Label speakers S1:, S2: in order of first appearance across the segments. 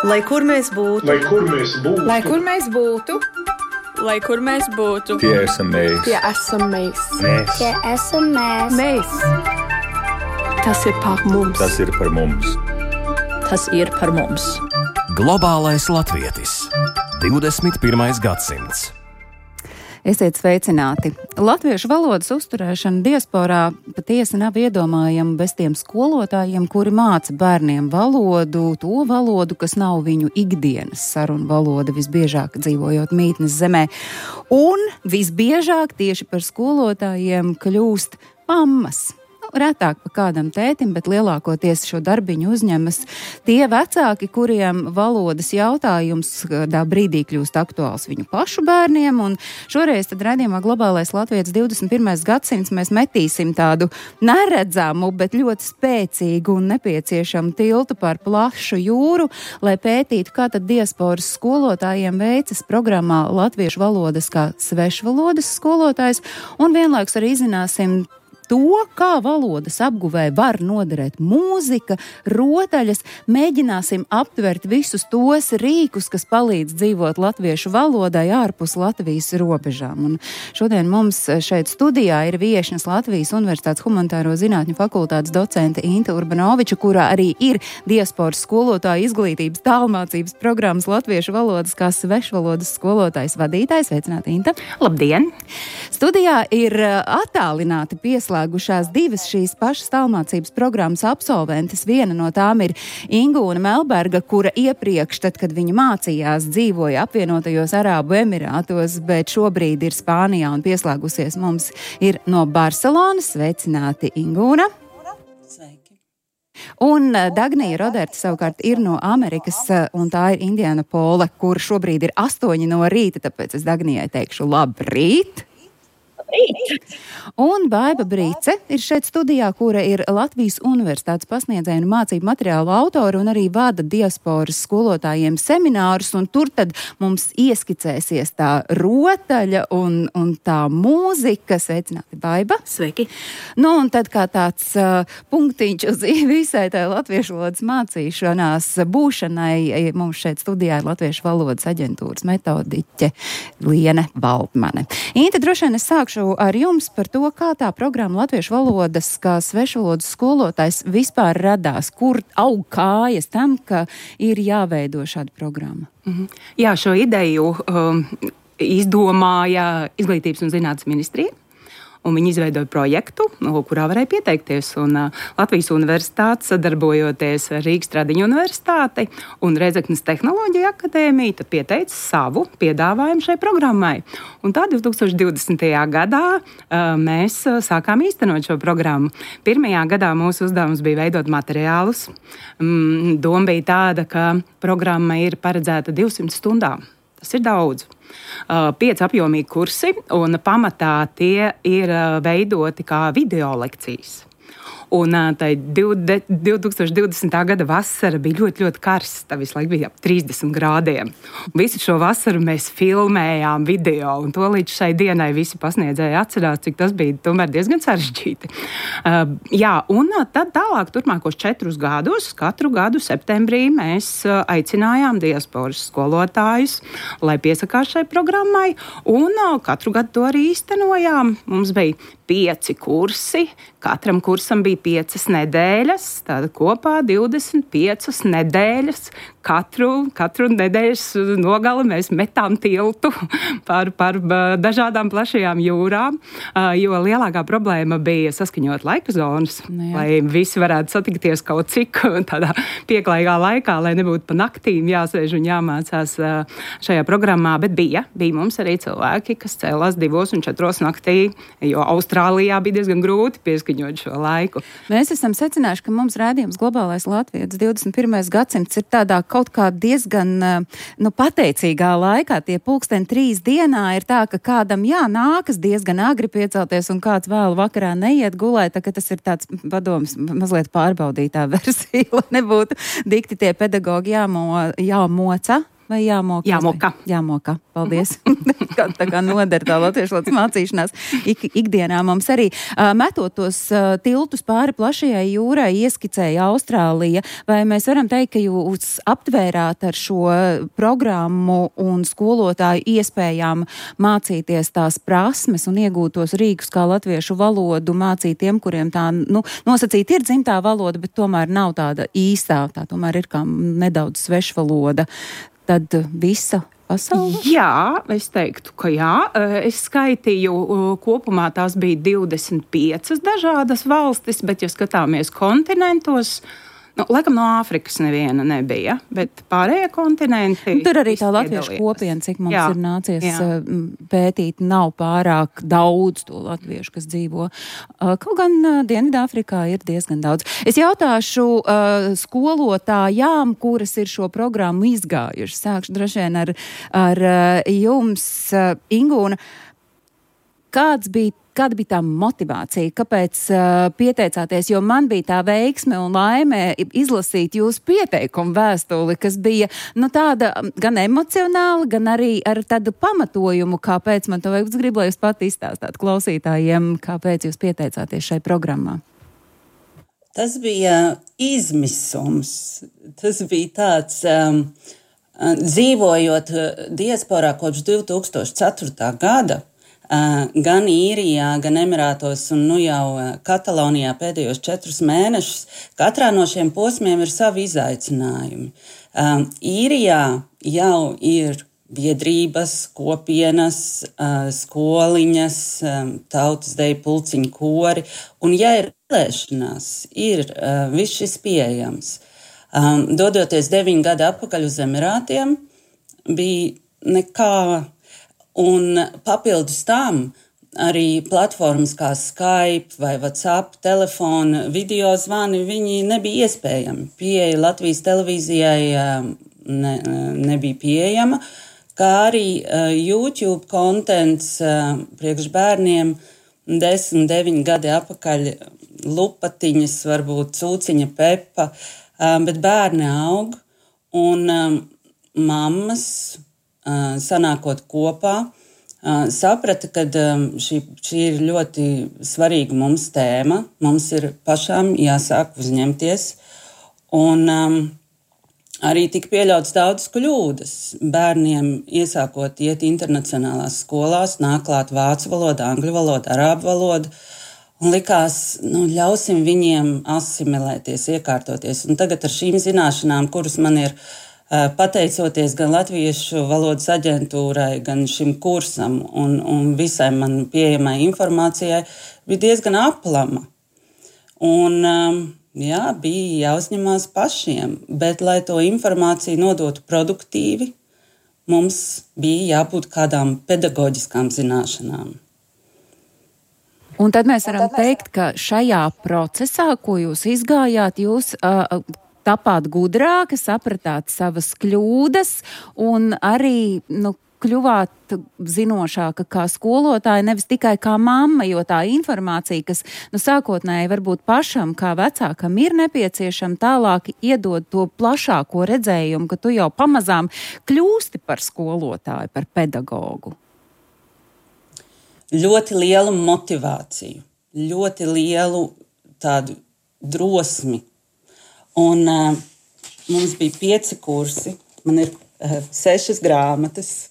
S1: Lai kur mēs būtu,
S2: lai kur mēs būtu,
S3: lai kur mēs būtu,
S4: lai kur mēs būtu,
S5: tie esam mēs.
S3: tie esam mēs.
S6: Tie esam mēs.
S3: Mēs. Tas ir par mums.
S5: Tas ir par mums.
S4: tas ir par mums.
S7: Globālais latvietis. 21. gadsimts.
S8: Esiet sveicināti! Latviešu valodas uzturēšana diasporā patiesi nav iedomājama bez tiem skolotājiem, kuri māca bērniem valodu, to valodu, kas nav viņu ikdienas sarunu valoda, visbiežāk dzīvojot mītnes zemē. Un visbiežāk tieši par skolotājiem kļūst mammas. Retāk pa kādam tētim, bet lielākoties šo darbiņu uzņemas tie vecāki, kuriem valodas jautājums kādā brīdī kļūst aktuāls viņu pašu bērniem, un šoreiz tad raidījumā Globālais latvietis 21. gadsimts mēs metīsim tādu neredzamu, bet ļoti spēcīgu un nepieciešamu tiltu par plašu jūru, lai pētītu, kā tad diasporas skolotājiem veicas programmā latviešu valodas kā svešvalodas skolotājs, un vienlaikus arī izzināsim to, kā valodas apguvē var noderēt mūzika, rotaļas, mēģināsim aptvert visus tos rīkus, kas palīdz dzīvot latviešu valodai ārpus Latvijas robežām. Un šodien mums šeit studijā ir viešņas Latvijas Universitātes humanitāro zinātņu fakultātes docente Inte Urbanoviča, kurā arī ir diasporas skolotāja izglītības tālmācības programmas latviešu valodas kā svešvalodas skolotājs vadītājs. Sveicināti, Inte!
S9: Labdien!
S8: Studijā ir attālināti pieslēgušās divas šīs pašas tālmācības programmas absolventes. Viena no tām ir Ingūna Melberga, kura iepriekš, tad, kad viņa mācījās, dzīvoja apvienotajos Arābu Emirātos, bet šobrīd ir Spānijā un pieslēgusies mums ir no Barcelonas. Sveicināti, Ingūna!
S1: Sveiki!
S8: Un Dagnija Roderta savukārt ir no Amerikas, un tā ir Indiana Pola, kur šobrīd ir 8 no rīta, tāpēc es Dagnijai teikšu labrīt! Un Baiba Brīce ir šeit studijā, kura ir Latvijas Universitātes pasniedzēja un mācību materiālu autora un arī vada diasporas skolotājiem seminārus, un tur tad mums ieskicēsies tā rotaļa un tā mūzika. Sveicināti, Baiba!
S9: Sveiki!
S8: Nu, un tad kā tāds punktiņš uz visai tai latviešu valodas mācīšanās būšanai, mums šeit studijā ir Latviešu valodas aģentūras metodiķe Liene Baltmane. Inte, droši vien es sākšu ar jums par to, kā tā programma latviešu valodas kā svešvalodas skolotājs vispār radās, kur aug kājas tam, ka ir jāveido šāda programma.
S9: Jā, šo ideju izdomāja Izglītības un zinātnes ministrija. Un viņi izveidoja projektu, kurā varēja pieteikties. Un Latvijas Universitāte, sadarbojoties ar Rīgas Tradiņu Universitāti un Rēzeknes Tehnoloģiju akadēmiju, tad pieteica savu piedāvājumu šai programmai. Un tā 2020. gadā mēs sākām īstenot šo programmu. Pirmajā gadā mūsu uzdevums bija veidot materiālus. Doma bija tāda, ka programma ir paredzēta 200 stundām. Tas ir daudz. 5 apjomīgi kursi, un pamatā tie ir veidoti kā video lekcijas. Un tā 2020. gada vasara bija ļoti, ļoti karsta. Visu laiku bija ap 30 grādiem. Visu šo vasaru mēs filmējām video, un to līdz šai dienai visi pasniedzēji atcerās, cik tas bija tomēr diezgan sarežģīti. Jā, un tad tālāk turpmākos 4 gadus, katru gadu septembrī mēs aicinājām diasporas skolotājus, lai piesakās šai programmai, un katru gadu to arī īstenojām. Mums bija 5 kursi, katram kursam bija 5 nedēļas, tāda kopā 25 nedēļas. Katru nedēļas nogali mēs metām tiltu par dažādām plašajām jūrām, jo lielākā problēma bija saskaņot laika zonas, lai visi varētu satikties kaut cik tādā pieklājīgā laikā, lai nebūtu pa naktīm jāsēž un jāmācās šajā programmā, bet bija mums arī cilvēki, kas cēlās 2 un 4 naktī, jo Austrālijā bija diezgan grūti pieskaņot šo laiku.
S8: Mēs esam secinājuši, ka mums rādījums Globālais latvietis 21. gadsimts ir tādā kaut kā diezgan pateicīgā laikā. Tie 2:03 dienā ir tā, ka kādam nākas diezgan agri piecelties un kāds vēlu vakarā neiet gulēt, tā ka tas ir tāds padoms mazliet pārbaudītā versija, lai nebūtu dikti tie pedagogi jāmoca. vai jāmoka? Jāmoka. Paldies. Tā kā noder tā latviešu valodas mācīšanās ikdienā mums arī. Metot tos tiltus pāri plašajai jūrai, ieskicēja Austrālija. Vai mēs varam teikt, ka jūs aptvērāt ar šo programmu un skolotāju iespējām mācīties tās prasmes un iegūt tos rīkus, kā latviešu valodu mācīt tiem, kuriem tā, nosacīt ir dzimtā valoda, bet tomēr nav tāda īstā, tā tomēr ir kā nedaudz svešvaloda, tad visa pasaule?
S9: Jā, es teiktu, ka jā. Es skaitīju, kopumā tās bija 25 dažādas valstis, bet, ja skatāmies kontinentos, laikam no Āfrikas neviena nebija, bet pārējie kontinenti...
S8: Tur arī tā latviešu kopiena, cik mums ir nācies pētīt, nav pārāk daudz to latviešu, kas dzīvo. Kaut gan Dienvidāfrikā ir diezgan daudz. Es jautāšu skolotājām, kuras ir šo programmu izgājuši. Sākšu droši vien ar jums, Ingūna. Kāda bija tā motivācija? Kāpēc pieteicāties? Jo man bija tā veiksme un laime izlasīt jūsu pieteikumu vēstuli, kas bija tāda gan emocionāla, gan arī ar tādu pamatojumu, kāpēc man to vajag. Es gribu, lai jūs pat izstāstāt klausītājiem, kāpēc jūs pieteicāties šai programmā.
S1: Tas bija izmisums. Tas bija tāds, dzīvojot diasporā kopš 2004. gada, gan Īrijā, gan Emirātos un jau Katalonijā pēdējos 4 mēnešus. Katrā no šiem posmiem ir savi izaicinājumi. Īrijā jau ir biedrības, kopienas, skoliņas, tautas deju pulciņu kori, un ja ir vēlēšanās, ir viss šis pieejams. Dodoties 9 gadu atpakaļ uz Emirātiem, bija nekā. Un papildus tam arī platformas kā Skype vai WhatsApp, telefona, video zvani, viņi nebija iespējami. Pieeja Latvijas televīzijai nebija pieejama, kā arī YouTube kontents priekš bērniem 10, 9 gadi atpakaļ lupatiņas, varbūt cūciņa Pepa, bet bērni aug un mammas sanākot kopā, saprata, ka šī ir ļoti svarīga mums tēma. Mums ir pašām jāsāk uzņemties. Un arī tika pieļauts daudz kļūdas. Bērniem iesākot iet internacionālās skolās, nāk klāt vācu valoda, angļu valoda, arābu valoda. Un likās, ļausim viņiem asimilēties, iekārtoties. Un tagad ar šīm zināšanām, kuras man ir pateicoties gan Latviešu valodas aģentūrai, gan šim kursam un visai man pieejamai informācijai, bija diezgan aplama. Un, bija jāuzņemās pašiem, bet, lai to informāciju nodotu produktīvi, mums bija jābūt kādām pedagoģiskām zināšanām.
S8: Un tad mēs varam teikt, ka šajā procesā, ko jūs izgājāt, jūs tapāt gudrāki, sapratāt savas kļūdas un arī kļuvāt zinošāka kā skolotāja, nevis tikai kā mamma, jo tā informācija, kas sākotnēji varbūt pašam kā vecākam ir nepieciešama, tālāk iedod to plašāko redzējumu, ka tu jau pamazām kļūsti par skolotāju, par pedagogu.
S1: Ļoti lielu motivāciju, ļoti lielu tādu drosmi. Un mums bija 5 kursi, man ir 6 grāmatas,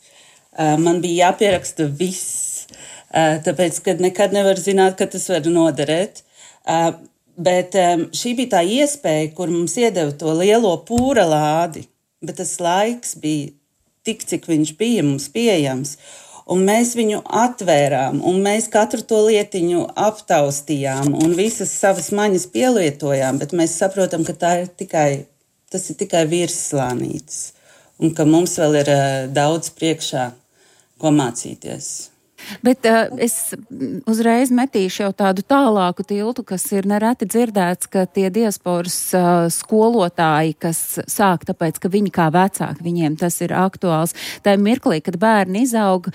S1: man bija jāpieraksta viss, tāpēc, ka nekad nevar zināt, ka tas var noderēt. Bet šī bija tā iespēja, kur mums iedeva to lielo pūra lādi, bet tas laiks bija tik, cik viņš bija mums pieejams. Un mēs viņu atvērām, un mēs katru to lietiņu aptaustījām, un visas savas maņas pielietojām, bet mēs saprotam, ka tas ir tikai virsslānītis, un ka mums vēl ir daudz priekšā, ko mācīties.
S8: Bet es uzreiz metīšu jau tādu tālāku tiltu, kas ir nereti dzirdēts, ka tie diasporas skolotāji, kas sāk tāpēc, ka viņi kā vecāki, viņiem tas ir aktuāls. Tā mirklī, kad bērni izaug,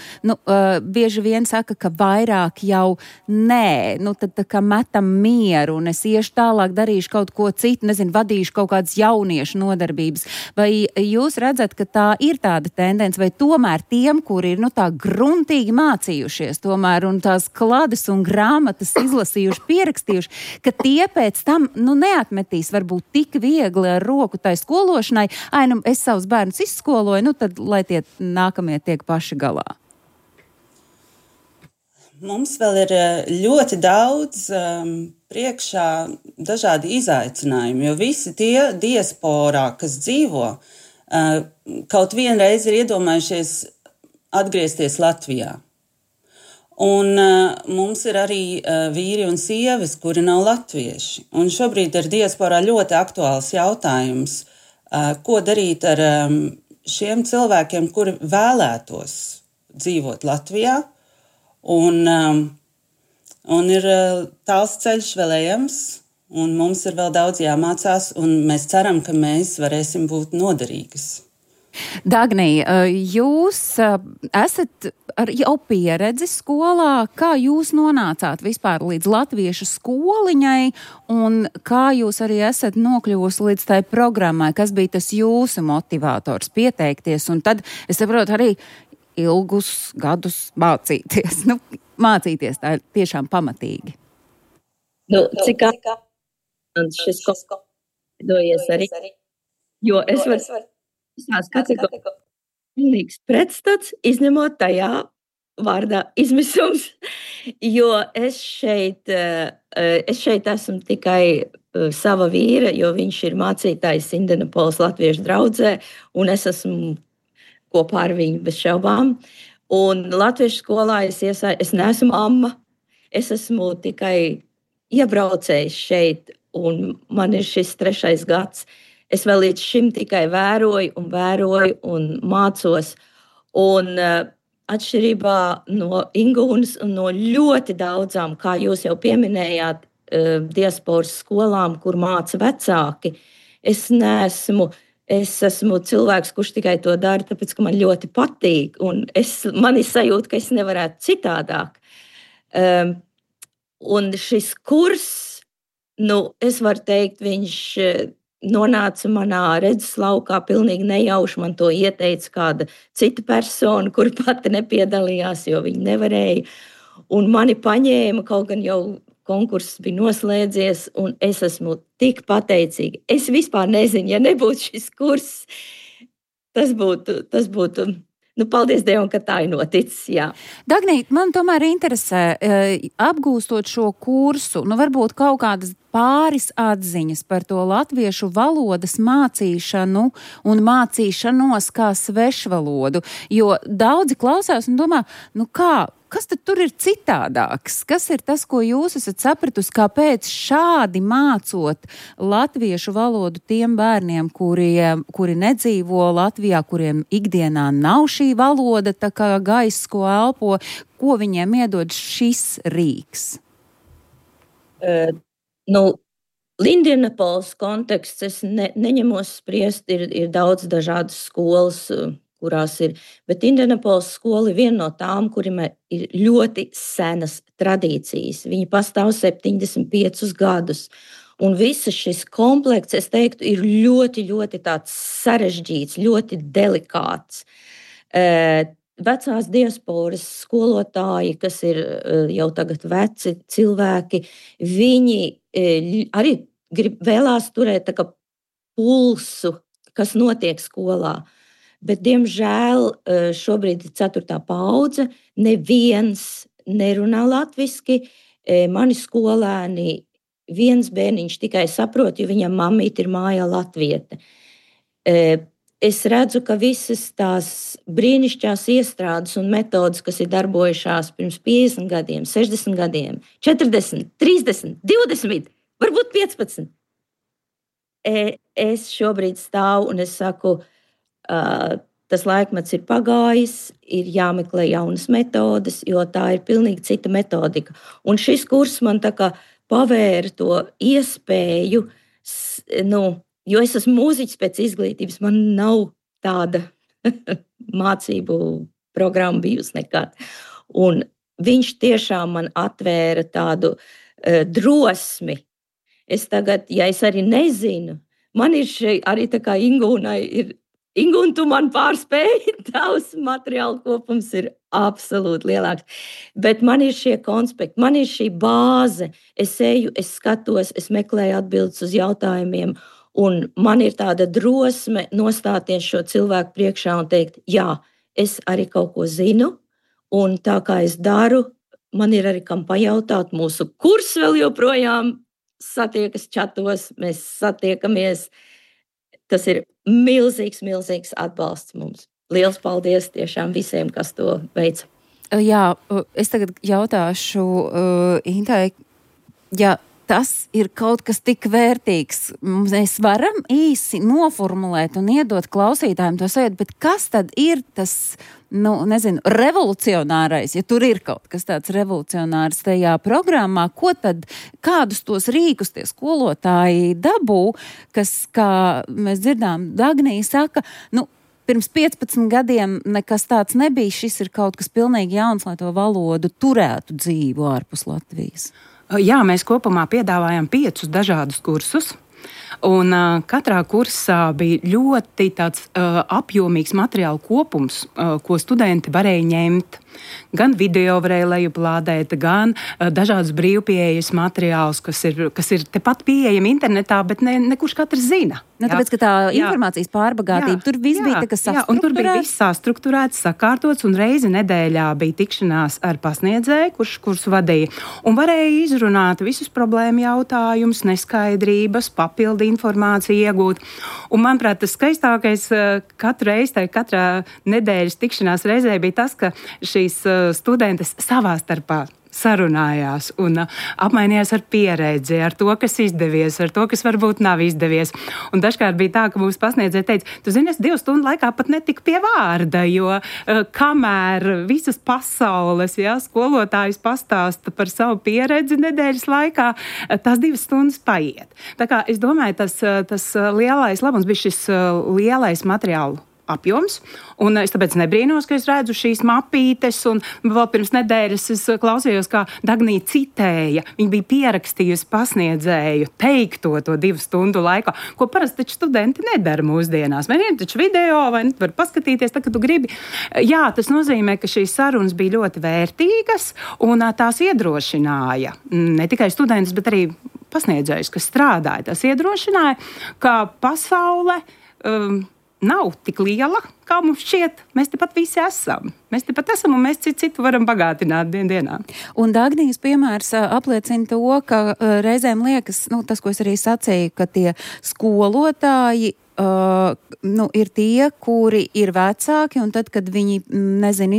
S8: bieži vien saka, ka vairāk jau nē, tad tā kā metam mieru un es iešu tālāk, darīšu kaut ko citu, vadīšu kaut kādas jauniešu nodarbības. Vai jūs redzat, ka tā ir tāda tendence, vai tomēr tiem, kuri ir tā gruntīgi mācījušies tomēr un tās klades un grāmatas izlasījuši, pierakstījuši, ka tie pēc tam neatmetīs varbūt tik viegli ar roku tai skološanai, es savus bērnus izskoloju, tad lai tie nākamie tiek paši galā.
S1: Mums vēl ir ļoti daudz priekšā dažādi izaicinājumi, jo visi tie diasporā, kas dzīvo, kaut vienreiz ir iedomājušies atgriezties Latvijā. Un mums ir arī vīri un sievas, kuri nav latvieši. Un šobrīd ir diasporā ļoti aktuāls jautājums, ko darīt ar šiem cilvēkiem, kuri vēlētos dzīvot Latvijā. Un ir tāls ceļš vēl ejams, un mums ir vēl daudz jāmācās, un mēs ceram, ka mēs varēsim būt noderīgas.
S8: Dagnī, jūs esat ar jau pieredzi skolā, kā jūs nonācāt vispār līdz latviešu skoliņai un kā jūs arī esat nokļuvusi līdz tai programmai, kas bija tas jūsu motivators pieteikties un tad, es saprotu, arī ilgus gadus mācīties. Mācīties tā ir tiešām pamatīgi.
S2: Cik šis dojies arī, jo es varu visās kategorijās pilnīgs pretstats, izņemot tajā vārdā izmisums, jo es šeit esmu tikai sava vīra, jo viņš ir mācītājs Indianapolis latviešu draudzē, un es esmu kopā ar viņu bez šaubām. Un latviešu skolā es neesmu amma, es esmu tikai iebraucējis šeit, un man ir šis 3. gads. Es vēl līdz šim tikai vēroju un mācos. Un atšķirībā no Ingūnas un no ļoti daudzām, kā jūs jau pieminējāt, diasporas skolām, kur māca vecāki, es esmu cilvēks, kurš tikai to dara, tāpēc, ka man ļoti patīk. Un man ir sajūta, ka es nevarētu citādāk. Un šis kurs, es varu teikt, viņš nonāca manā redzeslaukā pilnīgi nejauši. Man to ieteica kāda cita persona, kura pati nepiedalījās, jo viņi nevarēja. Un mani paņēma, kaut gan jau konkurss bija noslēdzies, un es esmu tik pateicīga. Es vispār nezinu, ja nebūtu šis kurs, tas būtu paldies Dievam, ka tā ir noticis, jā.
S8: Dagnīt, man tomēr interesē, apgūstot šo kursu, varbūt kaut kādas pāris atziņas par to latviešu valodas mācīšanu un mācīšanos kā svešvalodu, jo daudzi klausās un domā, kas tad tur ir citādāks? Kas ir tas, ko jūs esat sapratusi, kāpēc šādi mācot latviešu valodu tiem bērniem, kuri nedzīvo Latvijā, kuriem ikdienā nav šī valoda, tā kā gaiss, ko elpo, ko viņiem iedod šis rīks?
S2: Indianapolis konteksts, es neņemos spriest, ir daudz dažādas skolas, kurās ir, bet Indianapolis skola ir viena no tām, kuriem ir ļoti senas tradīcijas. Viņi pastāv 75 gadus. Un visas šis komplekts, es teiktu, ir ļoti, ļoti tāds sarežģīts, ļoti delikāts. Vecās diasporas skolotāji, kas ir jau tagad veci cilvēki, viņi arī vēlās turēt tā kā pulsu, kas notiek skolā. Bet, diemžēl, šobrīd ir 4. paudze, neviens nerunā latviski. Mani skolēni, viens bērniņš tikai saprot, jo viņam mammīte ir mājā latviete. Es redzu, ka visas tās brīnišķās iestrādes un metodas, kas ir darbojušās pirms 50 gadiem, 60 gadiem, 40, 30, 20, varbūt 15. Es šobrīd stāvu un es saku, tas laikmets ir pagājis, ir jāmeklē jaunas metodes, jo tā ir pilnīgi cita metodika. Un šis kurs man tā kā pavēra to iespēju, jo es esmu mūziķis pēc izglītības, man nav tāda mācību programma bijusi nekad. Un viņš tiešām man atvēra tādu drosmi. Es tagad, ja es arī nezinu, man ir šeit arī tā kā Ingūnai ir, Ingūna, tu man pārspēji, tavs materiāla kopums ir absolūti lielāks. Bet man ir šie konspekti, man ir šī bāze. Es eju, es skatos, es meklēju atbildes uz jautājumiem, un man ir tāda drosme nostāties šo cilvēku priekšā un teikt, jā, es arī kaut ko zinu, un tā kā es daru, man ir arī kam pajautāt. Mūsu kurs vēl joprojām satiekas čatos, mēs satiekamies. Tas ir milzīgs, milzīgs atbalsts mums. Liels paldies tiešām visiem, kas to veica.
S8: Jā, es tagad jautāšu Intai, ja tas ir kaut kas tik vērtīgs, mēs varam īsi noformulēt un iedot klausītājiem to sajūtu, bet kas tad ir tas, revolucionārais, ja tur ir kaut kas tāds revolucionārs tajā programmā, kādus tos rīkus tie skolotāji dabū, kas, kā mēs dzirdām, Dagnija saka, pirms 15 gadiem nekas tāds nebija, šis ir kaut kas pilnīgi jauns, lai to valodu turētu dzīvu ārpus Latvijas.
S9: Jā, mēs kopumā piedāvājam 5 dažādus kursus. Un katrā kursā bija ļoti tāds apjomīgs materiālu kopums, ko studenti varēja ņemt. Gan video varēja lejuplādēt, gan dažādus brīvpieejas materiālus, kas ir tepat pieejami internetā, bet ne kurš katrs zina.
S8: Tāpēc, ka tā informācijas pārbagātība, tur viss bija tā, kas sastrukturēts.
S9: Un tur bija viss sastrukturēts, sakārtots, un reizi nedēļā bija tikšanās ar pasniedzēju, kurš vadīja, un varēja izrunāt visus problēmu jautājumus, neskaidrības, papildu informāciju iegūt. Un, manuprāt, tas skaistākais katrā nedēļas tikšanās reizē bija tas, ka šīs studentes savā starpā sarunājās un apmainījās ar pieredzi, ar to, kas izdevies, ar to, kas varbūt nav izdevies. Un dažkārt bija tā, ka mūsu pasniedzēja teica, tu zini, es 2 stundu laikā pat netiku pie vārda, jo kamēr visas pasaules, skolotājs pastāsta par savu pieredzi nedēļas laikā, tās 2 stundas paiet. Tā kā es domāju, tas lielais labums bija šis lielais materiālu apjoms, un es tāpēc nebrīnos, ka es redzu šīs mapītes, un vēl pirms nedēļas es klausījos, kā Dagnija citēja, viņa bija pierakstījusi pasniedzēju teikto to 2 stundu laikā, ko parasti taču studenti nedara mūsdienās. Vai ir taču video, vai var paskatīties, tā, ka tu gribi. Jā, tas nozīmē, ka šīs sarunas bija ļoti vērtīgas, un tās iedrošināja ne tikai studentus, bet arī pasniedzējus, kas strādāja. Tas iedrošināja, ka pasaule nav tik liela, kā mums šķiet. Mēs tepat visi esam. Mēs tepat esam, un mēs citu varam bagātināt dienā.
S8: Un Dagnijas piemērs apliecina to, ka reizēm liekas, tas, ko es arī sacīju, ka tie skolotāji ir tie, kuri ir vecāki, un tad, kad viņi,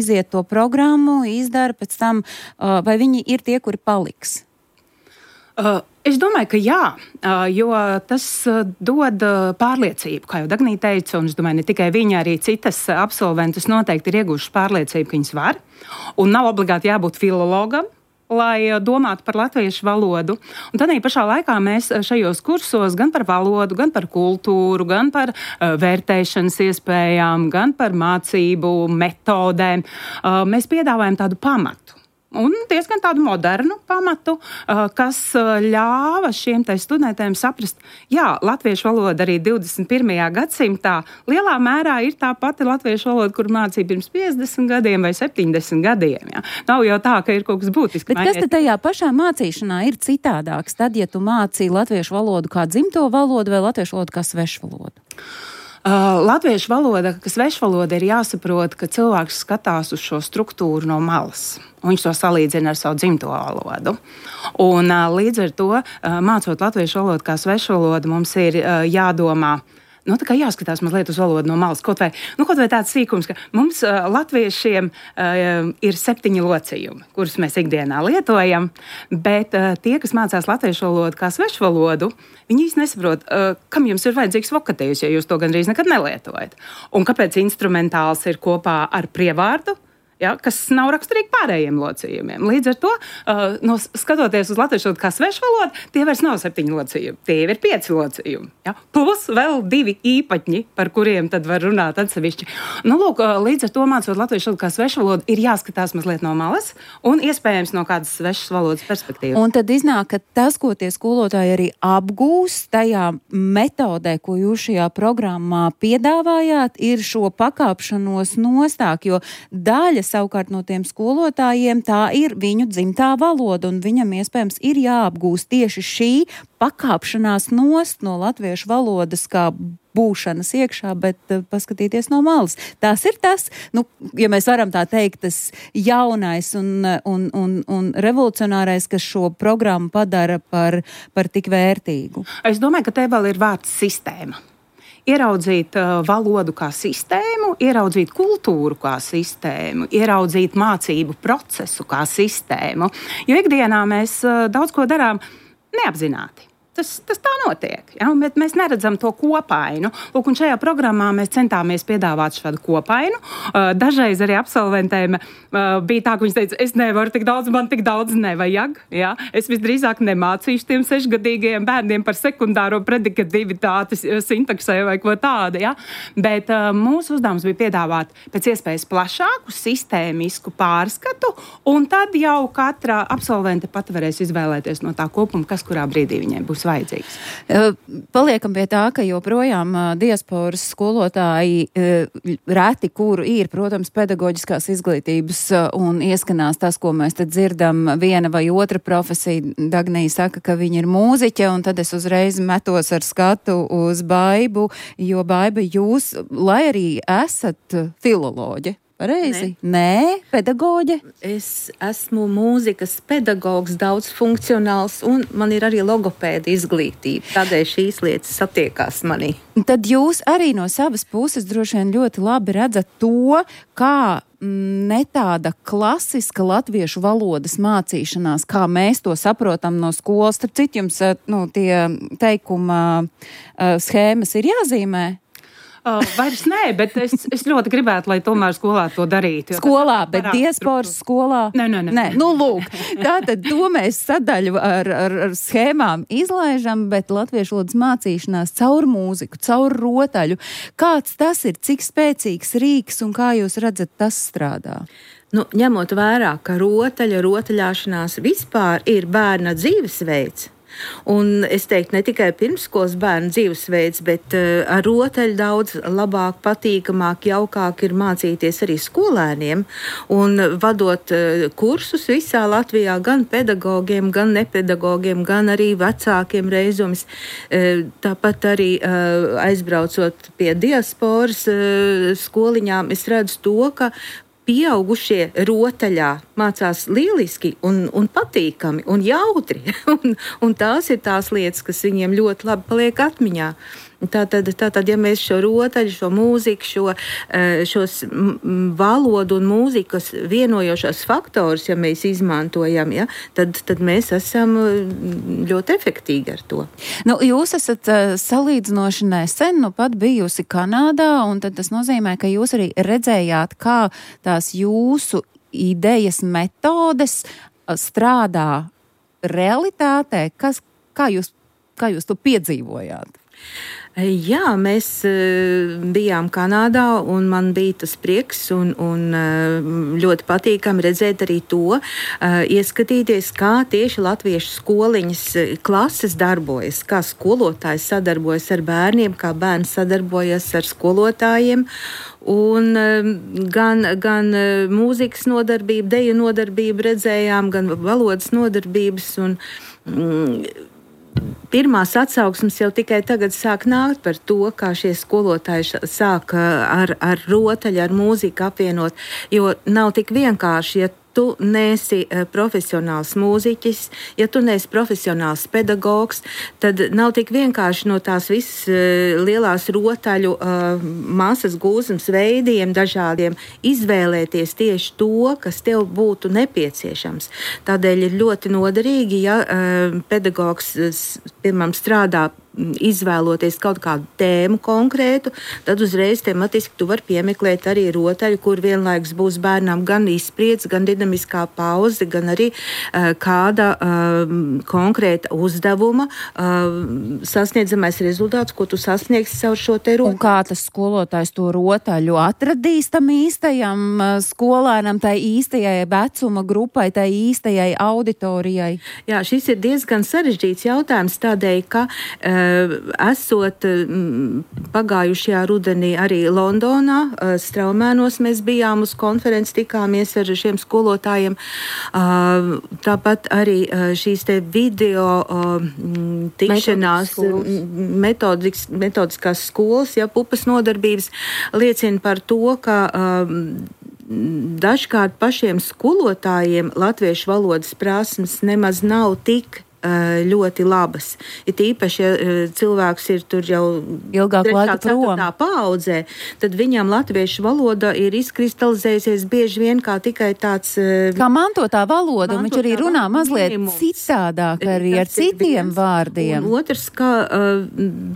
S8: iziet to programmu, izdara pēc tam, vai viņi ir tie, kuri paliks?
S9: Es domāju, ka jā, jo tas dod pārliecību, kā jau Dagnija teica, un es domāju, ne tikai viņa, arī citas absolventas noteikti ir ieguvušas pārliecību, ka viņas var, un nav obligāti jābūt filologam, lai domātu par latviešu valodu. Un tad pašā laikā mēs šajos kursos gan par valodu, gan par kultūru, gan par vērtēšanas iespējām, gan par mācību metodēm, mēs piedāvājam tādu pamatu. Un diezgan tādu modernu pamatu, kas ļāva šiem studentiem saprast, jā, latviešu valoda arī 21. gadsimtā lielā mērā ir tā pati latviešu valoda, kur mācīja pirms 50 gadiem vai 70 gadiem. Jā. Nav jau tā, ka ir kaut kas būtiski.
S8: Bet kas tad tajā pašā mācīšanā ir citādāks? Tad, ja tu mācīji latviešu valodu kā dzimto valodu vai latviešu valodu kā svešu valodu?
S9: Latviešu valoda, kas svešvaloda, ir jāsaprot, ka cilvēks skatās uz šo struktūru no malas. Un viņš to salīdzina ar savu dzimto valodu. Un līdz ar to, mācot latviešu valodu kā svešvalodu, mums ir jādomā Tā kā jāskatās mazliet uz valodu no malas. Kaut vai tāds sīkums, ka mums latviešiem ir 7 locījumi, kurus mēs ikdienā lietojam, bet tie, kas mācās latviešu valodu kā svešu valodu, viņi īsti nesaprot, kam jums ir vajadzīgs vokatējs, ja jūs to gandrīz nekad nelietojat. Un kāpēc instrumentāls ir kopā ar prievārdu, ja, kas nav raksturīgi pārējiem locījumiem. Līdz ar to, skatoties uz latviešu valodu kā svešu valodu, tie vairs nav 7 locījumi, tie ir 5 locījumi. Ja? Plus vēl 2 īpaņi, par kuriem tad var runāt atsevišķi. Līdz ar to mācot latviešu valodu kā svešu valodu, ir jāskatās mazliet no malas un iespējams no kādas svešas valodas perspektīvas.
S8: Un tad iznāk, ka tas, ko tie skolotāji arī apgūst tajā metodē, ko jūs šajā programmā piedāvājāt, ir šo pakāpšanos nostāk, jo daļa savukārt no tiem skolotājiem tā ir viņu dzimtā valoda, un viņam iespējams ir jāapgūst tieši šī pakāpšanās nost no latviešu valodas kā būšanas iekšā, bet paskatīties no malas. Tas ir tas, ja mēs varam tā teikt, tas jaunais un revolucionārais, kas šo programmu padara par tik vērtīgu.
S9: Es domāju, ka te vēl ir vārds sistēma. Ieraudzīt valodu kā sistēmu, ieraudzīt kultūru kā sistēmu, ieraudzīt mācību procesu kā sistēmu. Jo ikdienā mēs daudz ko darām neapzināti. Tas tā notiek, ja? Bet mēs neredzam to kopainu. Un šajā programmā mēs centāmies piedāvāt šādu kopainu. Dažreiz arī absolventēm bija tā, ka viņas teica, es nevaru tik daudz, man tik daudz nevajag. Ja? Es visdrīzāk nemācīšu tiem 6-gadīgajiem bērniem par sekundāro predikativitāti sintaksē vai ko tādu. Ja? Bet mūsu uzdevums bija piedāvāt pēc iespējas plašāku, sistēmisku pārskatu, un tad jau katra absolvente pat varēs izvēlēties no tā kopuma, kas kurā brīdī viņai būs vajadzīgs.
S8: Paliekam pie tā, ka joprojām diasporas skolotāji reti, kuru ir, protams, pedagoģiskās izglītības un ieskanās tas, ko mēs te dzirdam, viena vai otra profesija. Dagnija saka, ka viņa ir mūziķe, un tad es uzreiz metos ar skatu uz Baibu, jo Baiba, jūs, lai arī esat filoloģe, pareizi? Nē, pedagoģe?
S2: Es esmu mūzikas pedagogs, daudz funkcionāls, un man ir arī logopēda izglītība. Tādēļ šīs lietas satiekās manī.
S8: Tad jūs arī no savas puses droši vien ļoti labi redzat to, kā ne tāda klasiska latviešu valodas mācīšanās, kā mēs to saprotam no skolas. Starp citu, jums tie teikuma schēmas ir jāzīmē?
S9: Vairs nē, bet es ļoti gribētu, lai tomēr skolā to darītu.
S8: Skolā, bet diasporas skolā?
S9: Nē.
S8: Lūk, tātad to mēs sadaļu ar schēmām izlaižam, bet latviešu valodas mācīšanās caur mūziku, caur rotaļu. Kāds tas ir, cik spēcīgs rīks un kā jūs redzat, tas strādā?
S2: Ņemot vērā, ka rotaļāšanās vispār ir bērna dzīvesveids, un es teiktu, ne tikai pirmskolas bērnu dzīvesveids, bet ar rotaļu daudz labāk, patīkamāk, jaukāk ir mācīties arī skolēniem. Un vadot kursus visā Latvijā, gan pedagogiem, gan nepedagogiem, gan arī vecākiem reizums. Tāpat arī aizbraucot pie diasporas skoliņām, es redzu to, ka pieaugušie rotaļā mācās lieliski un patīkami un jautri. un tās ir tās lietas, kas viņiem ļoti labi paliek atmiņā. Tātad, ja mēs šo rotaļu, šo mūziku, šos valodu un mūzikas vienojošos faktorus, ja mēs izmantojam, ja, tad mēs esam ļoti efektīgi ar to.
S8: Jūs esat salīdzinoši nesen, pat bijusi Kanādā, un tad tas nozīmē, ka jūs arī redzējāt, kā tās jūsu idejas, metodes strādā realitātē. Kā jūs to piedzīvojāt?
S2: Jā, mēs bijām Kanādā, un man bija tas prieks un ļoti patīkami redzēt arī to, ieskatīties, kā tieši latviešu skoliņas klases darbojas, kā skolotājs sadarbojas ar bērniem, kā bērni sadarbojas ar skolotājiem. Un gan mūzikas nodarbību, deju nodarbību redzējām, gan valodas nodarbības un pirmās atsauksmes jau tikai tagad sāk nākt par to, kā šie skolotāji sāk ar rotaļu, ar mūziku apvienot, jo nav tik vienkārši, ja
S5: tu neesi profesionāls mūziķis, ja tu neesi profesionāls pedagogs, tad nav tik vienkārši no tās visas lielās rotaļu masas gūzmas veidiem dažādiem izvēlēties tieši to, kas tev būtu nepieciešams. Tādēļ ir ļoti noderīgi, ja pedagogs, piemēram, strādā izvēloties kaut kādu tēmu konkrētu, tad uzreiz tematiski tu vari piemeklēt arī rotaļu, kur vienlaikus būs bērnam gan izspriedz, gan dinamiskā pauze, gan arī kāda konkrēta uzdevuma sasniedzamais rezultāts, ko tu sasniegsi caur šo te rotaļu.
S8: Un kā tas skolotājs to rotaļu atradīs tam īstajam skolēnam, tai īstajai vecuma grupai, tai īstajai auditorijai?
S5: Jā, šis ir diezgan sarežģīts jautājums tādēļ, ka esot pagājušajā rudenī arī Londonā, Straumēnos mēs bijām uz konferenci, tikāmies ar šiem skolotājiem. Tāpat arī šīs te video tikšanās metodiskās skolas, pupas nodarbības liecina par to, ka dažkārt pašiem skolotājiem latviešu valodas prasmes nemaz nav tik ļoti labas. Ir īpaši, ja cilvēks ir tur jau
S8: ilgāku laiku prom
S5: paaudzē, tad viņam latviešu valoda ir izkristalizējusies bieži vien kā tikai tāds
S8: kā mantotā valoda, un viņš arī runā mazliet citādāk arī ar citiem vārdiem.
S5: Un otrs, ka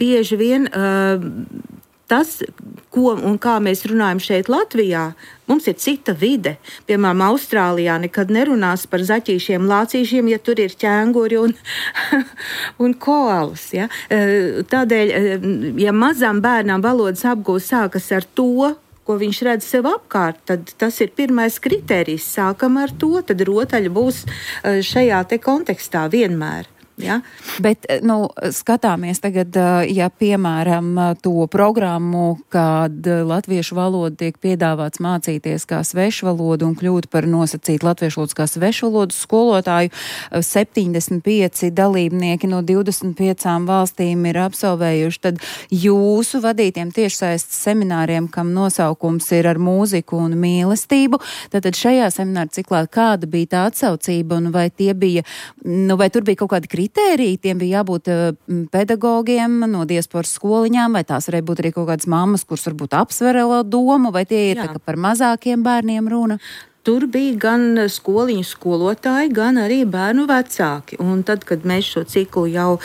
S5: bieži vien tas, ko un kā mēs runājam šeit Latvijā, mums ir cita vide. Piemēram, Austrālijā nekad nerunās par zaķīšiem, lācīšiem, ja tur ir ķēnguri un koalas. Ja? Tādēļ, ja mazam bērnam valodas apgūst sākas ar to, ko viņš redz sev apkārt, tad tas ir pirmais kritērijs. Sākam ar to, tad rotaļa būs šajā te kontekstā vienmēr. Ja?
S8: Bet, skatāmies tagad, ja piemēram to programmu, kad latviešu valoda tiek piedāvāts mācīties kā svešvalodu un kļūt par nosacītu latviešu valodas kā svešvalodu skolotāju, 75 dalībnieki no 25 valstīm ir absolvējuši, tad jūsu vadītiem tiešsaistes semināriem, kam nosaukums ir ar mūziku un mīlestību, tad šajā semināra ciklā kāda bija tā atsaucība un vai tie bija, vai tur bija kaut kādi kritēriji, tiem bija jābūt pedagogiem no diasporas skoliņām, vai tās varēja būt arī kaut kādas mammas, kuras varbūt apsver domu, vai tie ir tā, ka par mazākiem bērniem runa?
S5: Tur bija gan skoliņu skolotāji, gan arī bērnu vecāki. Un tad, kad mēs šo ciklu jau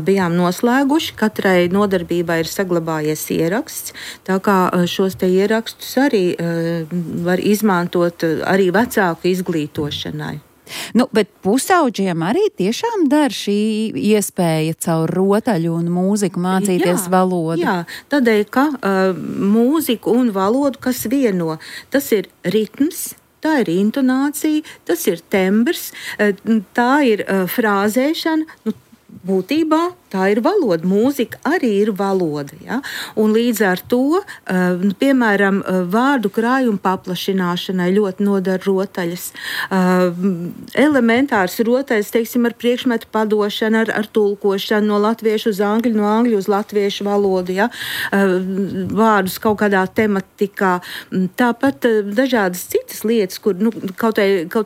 S5: bijām noslēguši, katrai nodarbībai ir saglabājies ieraksts, tā kā šos te ierakstus arī var izmantot arī vecāku izglītošanai.
S8: Bet pusauģiem arī tiešām dar šī iespēja caur rotaļu un mūziku mācīties valodu? Jā,
S5: tādēļ, ka mūziku un valodu, kas vieno, tas ir ritms, tā ir intonācija, tas ir tembrs, tā ir frāzēšana, būtībā tā ir valoda. Mūzika arī ir valoda. Ja? Un līdz ar to, piemēram, vārdu krājuma paplašināšanai ļoti nodara rotaļas. Elementārs rotaļas, teiksim, ar priekšmetu padošanu, ar tulkošanu no latviešu uz angļu, no angļu uz latviešu valodu. Ja? Vārdus kaut kādā tematikā. Tāpat dažādas citas lietas, kur kaut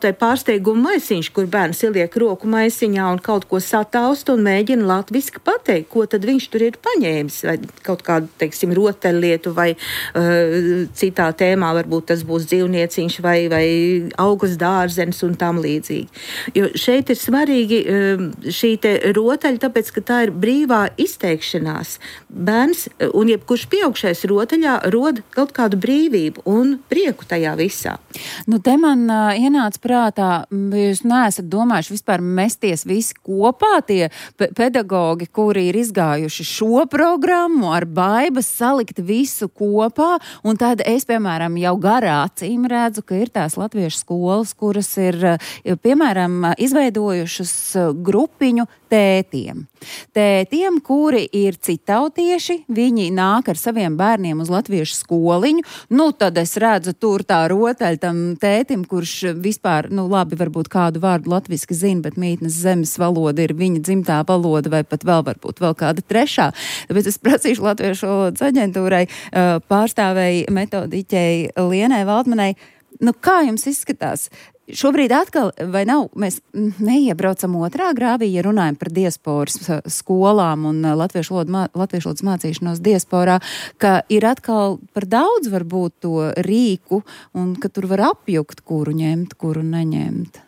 S5: vai pārsteiguma maisiņš, kur bērns ieliek roku maisiņā un kaut ko sataust un mēģina latviski pateikt, ko tad viņš tur ir paņēmis, vai kaut kādu, teiksim, rotaļlietu, vai citā tēmā varbūt tas būs dzīvnieciņš vai augas dārzenis un tam līdzīgi. Jo šeit ir svarīgi šī te rotaļa, tāpēc, ka tā ir brīvā izteikšanās. Bērns un jebkurš pieaugšais rotaļā rod kaut kādu brīvību un prieku tajā visā.
S8: Te man ienāca prātā, jūs neesat domājuši vispār mesties visi kopā, tie pedagogi, kuri ir izgājuši šo programmu ar baibas salikt visu kopā, un tad es, piemēram, jau garā acīm redzu, ka ir tās latviešu skolas, kuras ir, piemēram, izveidojušas grupiņu tētiem. Tētiem, kuri ir citautieši, viņi nāk ar saviem bērniem uz latviešu skoliņu, tad es redzu tur tā rotaļa tam tētim, kurš vispār, labi, varbūt kādu vārdu latviski zina, bet mītnes zemes valoda ir viņa dzimtā valoda, vai pat vēl varbūt vēl kāda trešā. Tāpēc es prasīšu Latviešu valodas aģentūrai pārstāvēji metodiķei Lienai Valdmanai, kā jums izskatās? Šobrīd atkal, vai nav, mēs neiebraucam otrā grāvī, ja runājam par diasporas skolām un latviešu valodas mācīšanos diasporā, ka ir atkal par daudz varbūt to rīku un ka tur var apjukt, kuru ņemt, kuru neņemt.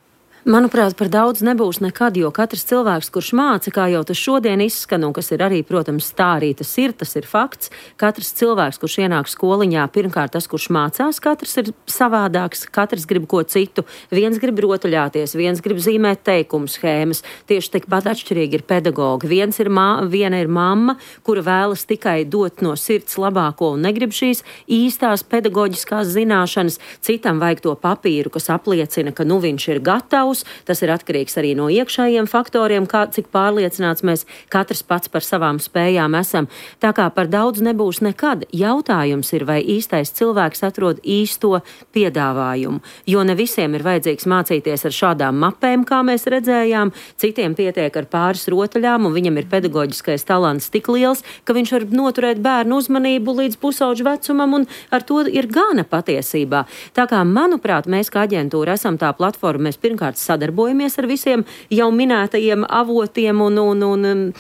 S10: Manuprāt, par daudz nebūs nekad, jo katrs cilvēks, kurš māca, kā jau tas šodien izskan, un kas ir arī, protams, tā arī tas ir fakts, katrs cilvēks, kurš ienāk skoliņā, pirmkārt tas, kurš mācās, katrs ir savādāks, katrs grib ko citu, viens grib rotaļāties, viens grib zīmēt teikumu schēmas, tieši tikpat atšķirīgi ir pedagogi. Viena ir mamma, kura vēlas tikai dot no sirds labāko un negrib šīs īstās pedagoģiskās zināšanas, citam vajag to papīru, kas apliecina, ka nu viņš ir gatavs. Tas ir atkarīgs arī no iekšējiem faktoriem, cik pārliecināts mēs katrs pats par savām spējām esam. Tā kā par daudz nebūs nekad. Jautājums ir, vai īstais cilvēks atrod īsto piedāvājumu. Jo ne visiem ir vajadzīgs mācīties ar šādām mapēm, kā mēs redzējām. Citiem pietiek ar pāris rotaļām, un viņam ir pedagoģiskais talants tik liels, ka viņš var noturēt bērnu uzmanību līdz pusauģu vecumam, un ar to ir gana patiesībā. Tā kā, manuprāt, mēs kā aģentūra esam tā platforma, mēs pirmkārt sadarbojamies ar visiem jau minētajiem avotiem un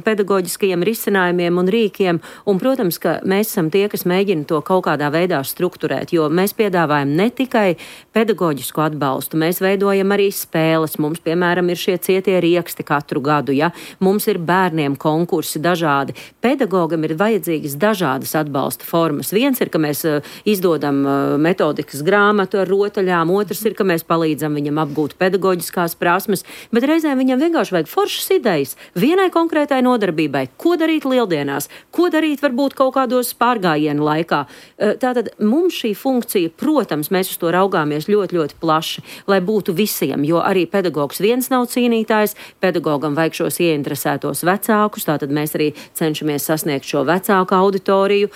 S10: pedagoģiskajiem risinājumiem un rīkiem. Un, protams, ka mēs esam tie, kas mēģina to kaut kādā veidā strukturēt, jo mēs piedāvājam ne tikai pedagoģisku atbalstu, mēs veidojam arī spēles. Mums, piemēram, ir šie cietie rieksti katru gadu, ja? Mums ir bērniem konkursi dažādi. Pedagogam ir vajadzīgas dažādas atbalsta formas. Viens ir, ka mēs izdodam metodikas grāmatu ar rotaļām, otrs ir, ka mēs palīdzam viņam apgūt pedagoģiskās prasmes, bet reizēm viņam vienkārši vajag foršas idejas vienai konkrētai nodarbībai. Ko darīt lieldienās? Ko darīt varbūt kaut kādos pārgājienu laikā? Tātad mums šī funkcija, protams, mēs uz to raugāmies ļoti, ļoti plaši, lai būtu visiem, jo arī pedagogs viens nav cīnītājs, pedagogam vajag šos ieinteresētos vecākus, tātad mēs arī cenšamies sasniegt šo vecāku auditoriju.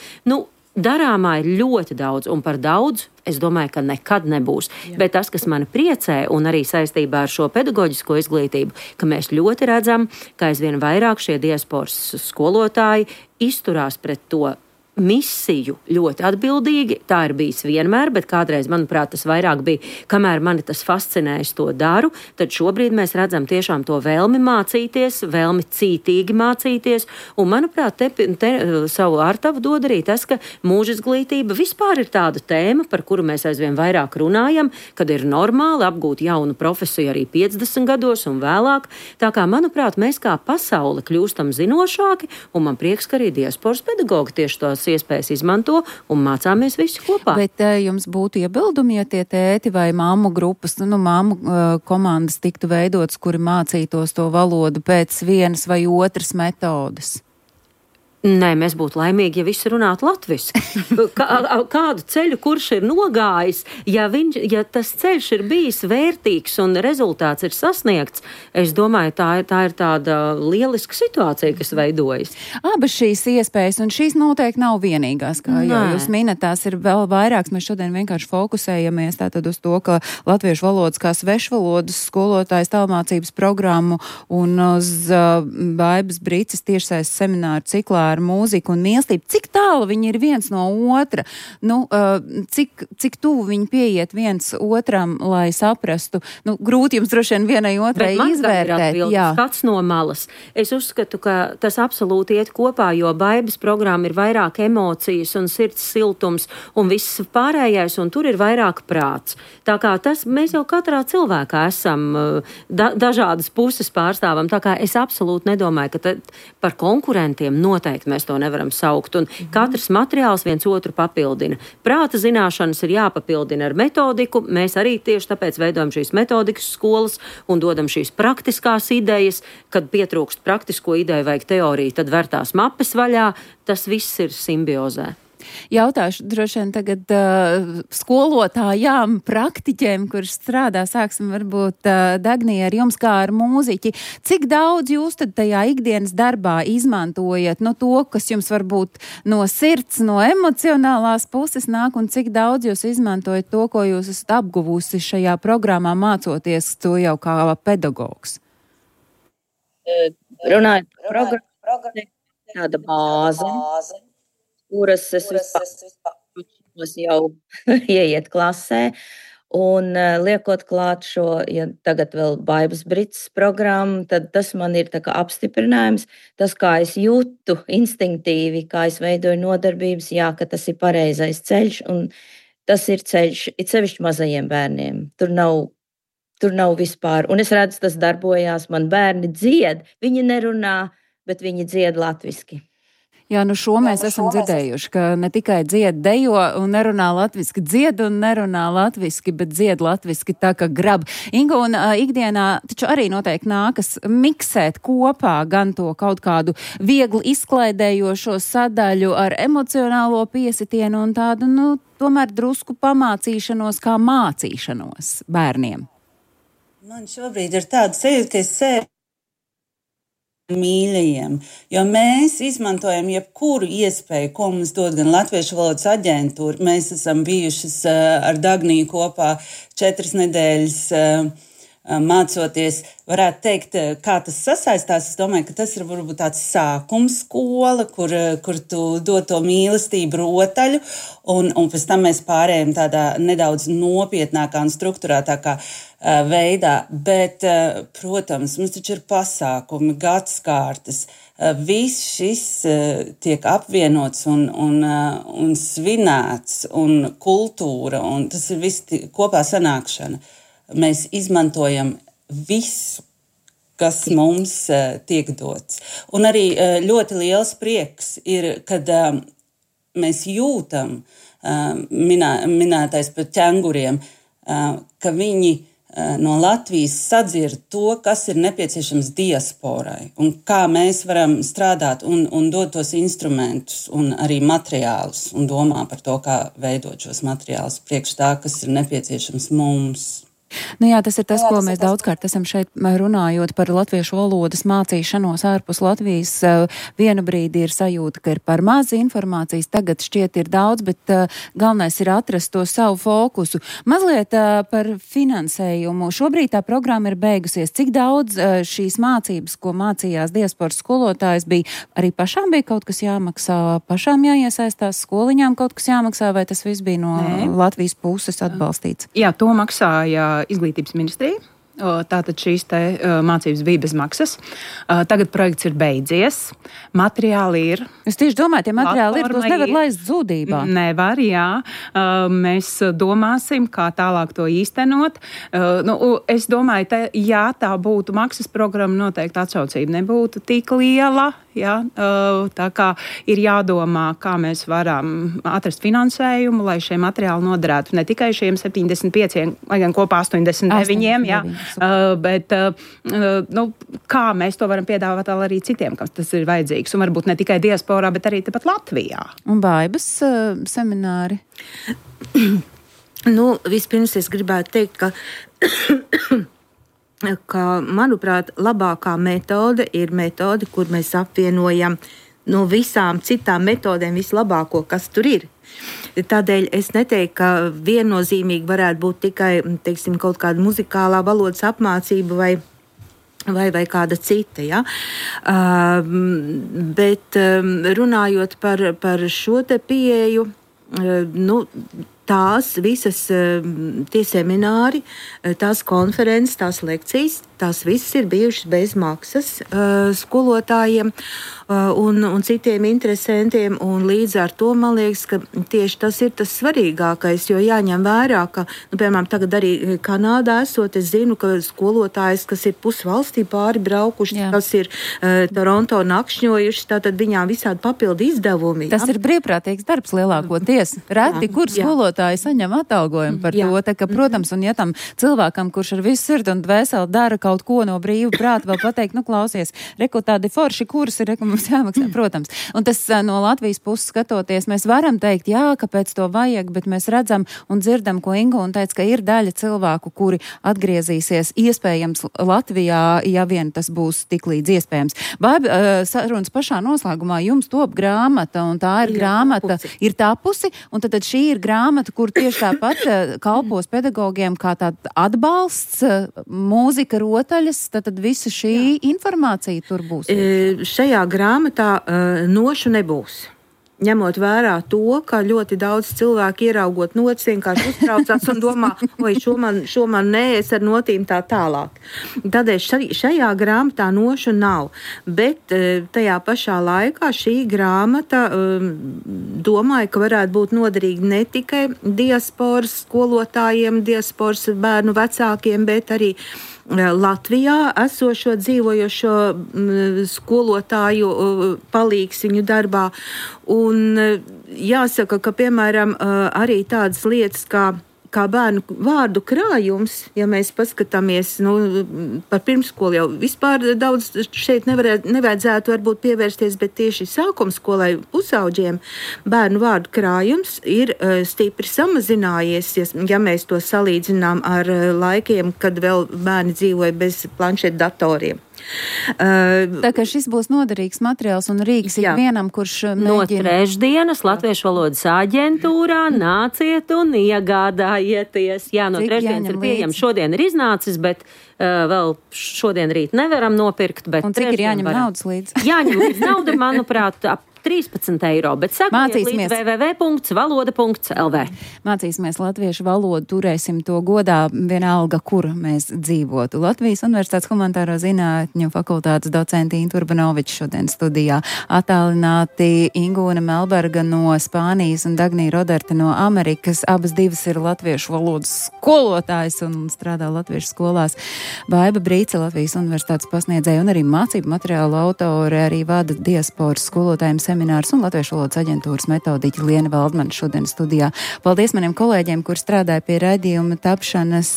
S10: Darāmā ir ļoti daudz, un par daudz es domāju, ka nekad nebūs. Jā. Bet tas, kas mani priecē, un arī saistībā ar šo pedagoģisko izglītību, ka mēs ļoti redzam, ka aizvien vairāk šie diasporas skolotāji izturās pret to misiju ļoti atbildīgi. Tā ir bijis vienmēr, bet kādreiz, manuprāt, tas vairāk bija, kamēr mani tas fascinē, es to daru, tad šobrīd mēs redzam tiešām to vēlmi mācīties, vēlmi cītīgi mācīties, un, manuprāt, te savu ārtavu dod arī tas, ka mūža izglītība vispār ir tāda tēma, par kuru mēs aizvien vairāk runājam, kad ir normāli apgūt jaunu profesiju arī 50 gados un vēlāk. Tā kā, manuprāt, mēs kā pasaule kļūstam zinošāki, un man prieks, ka arī diasporas pedagogi tieši tos iespējas izmanto un mācāmies visi kopā.
S8: Bet jums būtu iebildumi, ja tie tēti vai mammu grupas, mammu komandas tiktu veidotas, kuri mācītos to valodu pēc vienas vai otras metodes?
S10: Nē, mēs būtu laimīgi, ja visi runātu latviski. Kādu ceļu, kurš ir nogājis, ja tas ceļš ir bijis vērtīgs un rezultāts ir sasniegts, es domāju, tā ir tāda lieliska situācija, kas veidojas.
S8: Abas šīs iespējas, un šīs noteikti nav vienīgās, kā jau jūs minat, tās ir vēl vairākas. Mēs šodien vienkārši fokusējamies tātad uz to, ka latviešu valodas kā svešvalodas skolotājs tālmācības programmu un uz Baibas Brīces tiešsaistes semināru ciklā ar mūziku un mīlestību. Cik tālu viņi ir viens no otra? Cik tuvu viņi pieiet viens otram, lai saprastu? Grūti jums droši vien vienai otrai izvērtēt.
S10: Skats no malas. Es uzskatu, ka tas absolūti iet kopā, jo Baibas programma ir vairāk emocijas un sirds siltums un viss pārējais, un tur ir vairāk prāts. Tā kā tas, mēs jau katrā cilvēkā esam dažādas puses pārstāvam, tā kā es absolūti nedomāju, ka par konkurentiem noteikti mēs to nevaram saukt. Un katrs materiāls viens otru papildina. Prāta zināšanas ir jāpapildina ar metodiku. Mēs arī tieši tāpēc veidojam šīs metodikas skolas un dodam šīs praktiskās idejas. Kad pietrūkst praktisko ideju, vajag teoriju, tad ver tās mapes vaļā. Tas viss ir simbiozē.
S8: Jautāšu droši vien tagad skolotājām, praktiķiem, kurš strādā, sāksim varbūt Dagnija ar jums kā ar mūziķi. Cik daudz jūs tad tajā ikdienas darbā izmantojat to, kas jums varbūt no sirds, no emocionālās puses nāk, un cik daudz jūs izmantojat to, ko jūs esat apguvusi šajā programmā mācoties to jau kā pedagogs?
S2: Runājot par programmu, tāda bāze, kuras es vispār jau ieiet klasē. Un liekot klāt šo, ja tagad vēl Baibas Brits programmu, tad tas man ir tā kā apstiprinājums. Tas, kā es jūtu instinktīvi, kā es veidoju nodarbības, jā, ka tas ir pareizais ceļš, un tas ir ceļš, it sevišķi mazajiem bērniem. Tur nav vispār, un es redzu, tas darbojās, man bērni dzied, viņi nerunā, bet viņi dzied latviski.
S8: Jā, šo mēs esam dzirdējuši, ka ne tikai dzied dejo un nerunā latviski, dzied un nerunā latviski, bet dzied latviski tā, ka grab. Inga, un ikdienā taču arī noteikti nākas miksēt kopā gan to kaut kādu viegli izklaidējošo sadaļu ar emocionālo piesitienu un tādu, tomēr drusku pamācīšanos kā mācīšanos bērniem.
S1: Man šobrīd ir tāda sajūta, ka es sevi mīļajiem, jo mēs izmantojam jebkuru iespēju, ko mums dod gan Latviešu valodas aģentūra. Mēs esam bijušas ar Dagniju kopā 4 nedēļas mācoties. Varētu teikt, kā tas sasaistās. Es domāju, ka tas ir varbūt tāds sākums skola, kur tu dod to mīlestību rotaļu, un pēc tam mēs pārējām tādā nedaudz nopietnākā un strukturētākā veidā. Bet, protams, mums taču ir pasākumi, gadskārtas. Viss šis tiek apvienots un svinēts, un kultūra, un tas ir viss kopā sanākšana. Mēs izmantojam visu, kas mums tiek dots. Un arī ļoti liels prieks ir, kad mēs jūtam, minētais par ķenguriem, ka viņi no Latvijas sadzird to, kas ir nepieciešams diasporai, un kā mēs varam strādāt un dot tos instrumentus un arī materiālus, un domā par to, kā veidot šos materiālus priekš tā, kas ir nepieciešams mums.
S8: Jā, tas ir tas, ko mēs daudzkārt esam šeit runājot par latviešu valodas mācīšanos ārpus Latvijas. Vienu brīdi ir sajūta, ka ir par maz informācijas, tagad šķiet ir daudz, bet galvenais ir atrast to savu fokusu. Mazliet par finansējumu. Šobrīd tā programma ir beigusies. Cik daudz šīs mācības, ko mācījās diasporas skolotājs, bija arī pašām bija kaut kas jāmaksā, pašām jāiesaistās, skoliņām kaut kas jāmaksā, vai tas viss bija no Latvijas puses atbalstīts?
S9: Jā, to maksāja Izglītības ministrija. Tātad šīs mācības bija bez maksas. Tagad projekts ir beidzies. Materiāli ir.
S8: Es tieši domāju, tie materiāli ir, tos nevar laist zudībā.
S9: Nevar, jā. Mēs domāsim, kā tālāk to īstenot. Es domāju, ja tā būtu maksas programma, noteikti atsaucība nebūtu tik liela. Ja? Tā kā ir jādomā, kā mēs varam atrast finansējumu, lai šie materiāli noderētu ne tikai šiem 75, lai gan kopā 89, jā. Bet kā mēs to varam piedāvāt arī citiem, kas tas ir vajadzīgs, un varbūt ne tikai diasporā, bet arī tepat Latvijā.
S8: Un Baibas semināri?
S5: Vispirms es gribētu teikt, ka, manuprāt, labākā metode ir metode, kur mēs apvienojam no visām citām metodēm vislabāko, kas tur ir. Tādēļ es neteiktu, ka viennozīmīgi varētu būt tikai, teiksim, kaut kāda muzikālā valodas apmācība vai kāda cita. Ja? Bet runājot par šo te pieeju, tās visas tie semināri, tās konferences, tās lekcijas, tās visas ir bijušas bez maksas skolotājiem un citiem interesantiem, un līdz ar to man liekas, ka tieši tas ir tas svarīgākais, jo jāņem vērā, ka, piemēram, tagad arī Kanādā esot, es zinu, ka skolotājs, kas ir pusvalstī pāri braukuši, kas ir Toronto nakšņojuši, tātad viņām visādi papildu izdevumi.
S8: Tas ir brīvprātīgs darbs lielākoties. Reti, kur skolotāji saņem atalgojumu par to, tā ka, protams, un ja tam cilvēkam, kurš ar visu sirdi un dvēseli dara kaut ko no brīva prāta, vēl pateikt, klausies, reku tādi forši kursi, reku mums jāmaksā, protams. Un tas no Latvijas puses skatoties, mēs varam teikt, jā, kāpēc to vajag, bet mēs redzam un dzirdam, ko Inga un teica, ka ir daļa cilvēku, kuri atgriezīsies iespējams Latvijā, ja vien tas būs tik līdz iespējams. Baiba, sarunas pašā noslēgumā jums top grāmata, un tā ir grāmata, ir tapusi, un tad šī ir grāmata, kur tieši tāpat kalpos pedagogiem kā tāda atbalsts, mūzika, rotaļas, tad visa šī informācija tur būs.
S5: Šajā grāmatā nošu nebūs. ņemot vērā to, ka ļoti daudz cilvēku ieraugot notis vienkārši uztraucās un domā, oi, šo man nē, es ar notīm tā tālāk. Tādēļ šajā grāmatā nošu nav, bet tajā pašā laikā šī grāmata domāju, ka varētu būt noderīga ne tikai diasporas skolotājiem, diasporas bērnu vecākiem, bet arī Latvijā esošo dzīvojošo skolotāju palīgs viņu darbā. Un jāsaka, ka, piemēram, arī tādas lietas kā bērnu vārdu krājums, ja mēs paskatāmies par pirmskolu jau vispār daudz šeit nevajadzētu varbūt pievērsties, bet tieši sākumskolai pusauģiem bērnu vārdu krājums ir stipri samazinājies, ja mēs to salīdzinām ar laikiem, kad vēl bērni dzīvoja bez planšetdatoriem.
S8: Tā kā šis būs noderīgs materiāls un rīks ikvienam, kurš mēģina...
S10: No trešdienas Latviešu valodas aģentūrā nāciet un iegādājieties. Jā, no trešdienas ir pieejams. Šodien ir iznācis, bet vēl šodien rīt nevaram nopirkt. Bet
S8: un cik ir jāņem naudas līdz?
S10: Jāņem līdz nauda, manuprāt, ap 13 eiro, bet sakiet līdz www.valoda.lv.
S8: Mācīsimies latviešu valodu, turēsim to godā vienalga, kur mēs dzīvotu. Latvijas Universitātes humanitāro zinātņu fakultātes docenti Inta Urbanoviča šodien studijā, attālināti Ingūna Melberga no Spānijas un Dagnija Roderte no Amerikas. Abas divas ir latviešu valodas skolotājs un strādā latviešu skolās. Baiba Brīce, Latvijas Universitātes pasniedzēja un arī mācību materiālu autore, arī vada diasporas skolotājiem seminārs un Latviešu valodas aģentūras metodiķa Liena Valdmane šodien studijā. Paldies maniem kolēģiem, kur strādāja pie raidījuma tapšanas,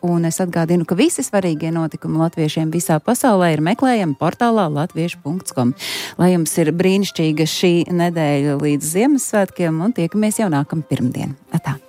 S8: un es atgādinu, ka visi svarīgie notikumi latviešiem visā pasaulē ir meklējami portālā latviešu.com. Lai jums ir brīnišķīga šī nedēļa līdz Ziemassvētkiem un tiekamies jau nākamā pirmdien. Atā!